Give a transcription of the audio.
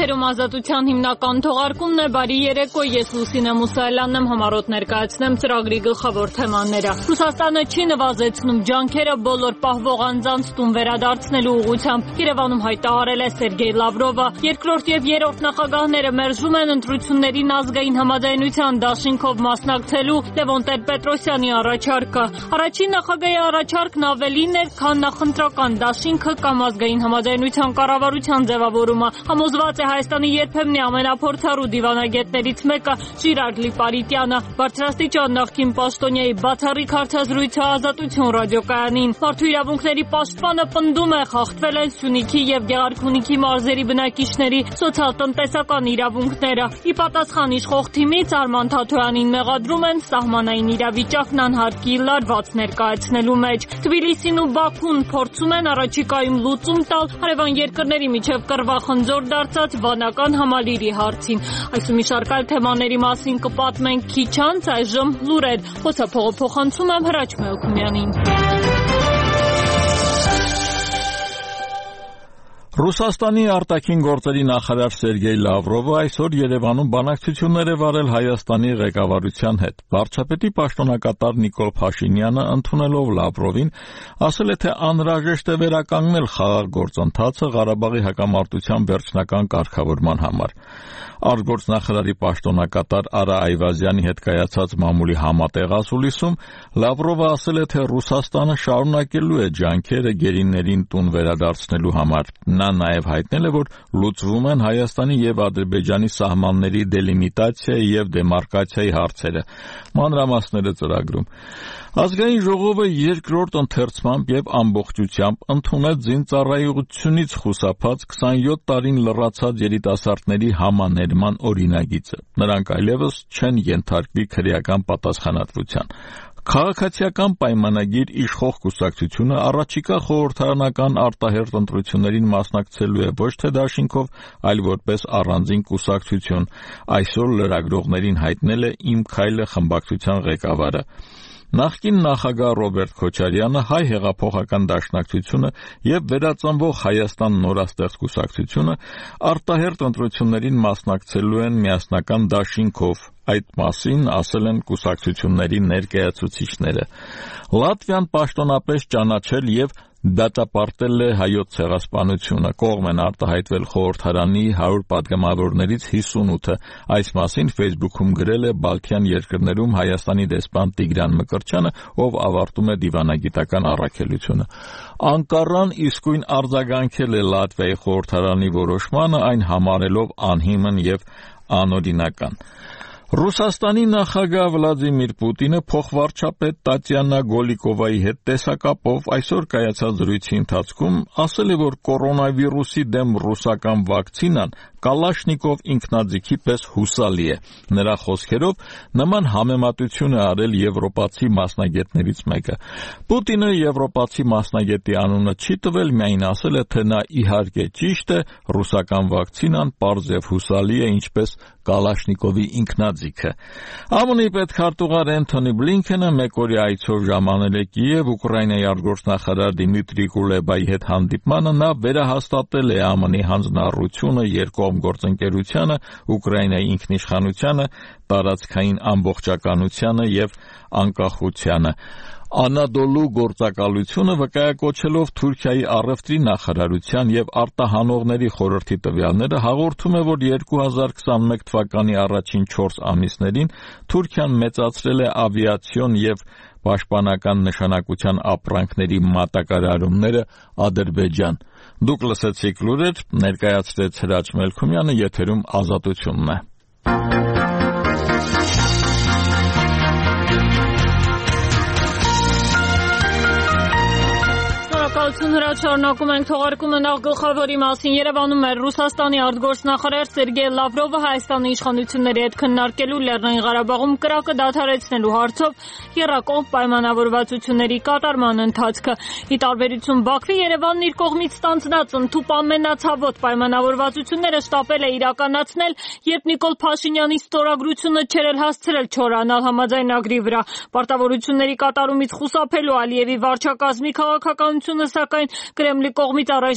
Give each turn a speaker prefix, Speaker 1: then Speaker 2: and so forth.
Speaker 1: Եթերում Ազատության հիմնական թողարկումն է, բարի երեկո, ես Լուսինե Մուսայելյանն եմ, համառոտ ներկայացնեմ ծրագրի գլխավոր թեմաները։ Ռուսաստանը չի նվազեցնում ջանքերը բոլոր պահվող անձանց տուն վերադարձնելու ուղղությամբ։ Երևանում հայտարարել է Սերգեյ Լավրովը։ Երկրորդ եւ երրորդ նախագահները մերժում են ընտրություններին ազգային համաձայնության դաշինքով մասնակցելու Լևոն Տեր-Պետրոսյանի առաջարկը։ Առաջին նախագահի առաջարկն ավելին էր, քան նախընտրական դաշինքը կամ ազգային համաձայնության կառավարության ձևավորումը։ Համոզված է Հայաստանի երբեմնի ամենափորձառու դիվանագետներից մեկը Ժիրար Լիպարիտյանը։ Բարձրաստիճան նախկին պաշտոնյայի բացառիկ հարցազրույցը Ազատություն ռադիոկայանին։ Մարդու իրավունքների պաշտպանը պնդում է, խախտվել են Սյունիքի եւ Գեղարքունիքի մարզերի բնակիչների սոցիալ-տնտեսական իրավունքները։ Ի պատասխան իշխող թիմից Արման Թաթոյանին մեղադրում են սահմանային իրավիճակն անհարկի լարված ներկայացնելու մեջ։ Թբիլիսին ու Բաքուն փորձում են առաջիկայում լուծում տալ հարևան երկրների միջև կռվախնձոր դարձած վանական համալիրի հարցին։ Այս ու մի շարք այլ թեմաների մասին կպատմենք քիչ անց, այժմ լուրեր։ Խոսափողը փոխանցում եմ Հրաչ Մելքումյանին։
Speaker 2: Ռուսաստանի արտաքին գործերի նախարար Սերգեյ Լավրովը այսօր Երևանում բանակցություններ է վարել Հայաստանի ղեկավարության հետ։ Վարչապետի պաշտոնակատար Նիկոլ Փաշինյանը ընդունելով Լավրովին ասել է, թե անհրաժեշտ է վերականգնել խաղաղ գործընթացը Ղարաբաղի հակամարտության վերջնական կարգավորման համար։ Արտգործնախարարի պաշտոնակատար Արա Այվազյանի հետ կայացած մամուլի համատեղ ասուլիսում Լավրովը ասել է, թե Ռուսաստանը շարունակելու է ջանքերը գերիներին տուն վերադարձնելու համար։ Նա նաև հայտնել է, որ լուծվում են Հայաստանի եւ Ադրբեջանի սահմանների դելիմիտացիայի եւ դեմարկացիայի հարցերը։ Մանրամասները ծրագրում։ Ազգային ժողովը երկրորդ ընթերցմամբ եւ ամբողջությամբ ընդունեց զինծառայողությունից խուսափած 27 տարին լռացած երիտասարդների համաներման օրինագիծը։ Նրանք այլևս չեն ենթարկվի քրեական պատասխանատվության։ Քաղաքացիական պայմանագիր իշխող կուսակցությունը առաջիկա խորհրդարանական արտահերթ ընտրություններին մասնակցելու է ոչ թե դաշինքով, այլ որպես առանձին կուսակցություն, այսօր լրագրողներին հայտնել է «Իմ քայլը» խմբակցության ղեկավարը։ Նախկին նախագահ Ռոբերտ Քոչարյանը, Հայ հեղափոխական դաշնակցությունը եւ Վերածնվող Հայաստան նորաստեղծ կուսակցությունը արտահերթ ընտրություններին մասնակցելու են միասնական դաշինքով։ Այդ մասին ասել են կուսակցությունների ներկայացուցիչները։ Լատվիան պաշտոնապես ճանաչել եւ դատապարտել է Հայոց ցեղասպանությունը։ Կողմ են արտահայտվել խորհրդարանի 100 պատգամավորներից 58-ը։ Այս մասին Facebook-ում գրել է Բալթյան երկրներում Հայաստանի դեսպան Տիգրան Մկրտչյանը, ով ավարտում է դիվանագիտական առաքելությունը։ Անկարան իսկույն արձագանքել է Լատվիայի խորհրդարանի որոշմանը, այն համարելով անհիմն եւ անօրինական։ Ռուսաստանի նախագահ Վլադիմիր Պուտինը փոխվարչապետ Տատյանա Գոլիկովայի հետ տեսակապով այսօր կայացած զրույցի ընթացքում ասել է, որ կորոնավիրուսի դեմ ռուսական վակցինան Կալաշնիկով ինքնաձիգի պես հուսալի է։ Նրա խոսքերով նման համեմատություն է արել եվրոպացի մասնագետներից մեկը։ Պուտինը եվրոպացի մասնագետի անունը չի տվել, միայն ասել է, թե նա իհարկե ճիշտ է, ռուսական վակցինան պարզ եւ հուսալի է, ինչպես Կալաշնիկովի ինքնաձիգը։ ԱՄՆ-ի պետքարտուղար Էնթոնի Բլինքենը մեկօրյա այցով ժամանել է Կիև Ուկրաինայի արտգործնախարար Դիմիտրի Կուլեբայի հետ հանդիպմանը։ Նա վերահաստատել է ԱՄՆ-ի հանձնառությունը երկկողմ գործընկերությանը, Ուկրաինայի ինքնիշխանությանը, տարածքային ամբողջականությանը եւ անկախությանը։ Անադոլու գործակալությունը վկայակոչելով Թուրքիայի առևտրի նախարարության եւ արտահանողների խորհրդի տվյալները հաղորդում է, որ 2021 թվականի առաջին 4 ամիսներին Թուրքիան մեծացրել է ավիացիոն եւ պաշտպանական նշանակության ապրանքների մատակարարումները Ադրբեջան։ Դուք լսեցիք լուրեր, ներկայացրեց Հրաչ Մելքումյանը, եթերում Ազատությունն է։
Speaker 1: Շարունակում ենք թողարկումը նախ գլխավորի մասին։ Երևանում է Ռուսաստանի արտգործնախարար Սերգեյ Լավրովը Հայաստանի իշխանությունների հետ քննարկելու Լեռնային Ղարաբաղում կրակը դադարեցնելու հարցով եռակողմ պայմանավորվածությունների կատարման ընթացքը։ Ի տարբերություն Բաքվի, Երևանն իր կողմից ստանձնած ընդհուպ ամենացավոտ պայմանավորվածությունները շտապել է իրականացնել, երբ Նիկոլ Փաշինյանի ստորագրությունը չէր հասցրել չորանալ համաձայնագրի վրա։ Պարտավորությունների կատարումից խուսափելու Ալիևի վարչակազմի քաղաքականությունը, սակայն Կրեմլի կողմից առայժմ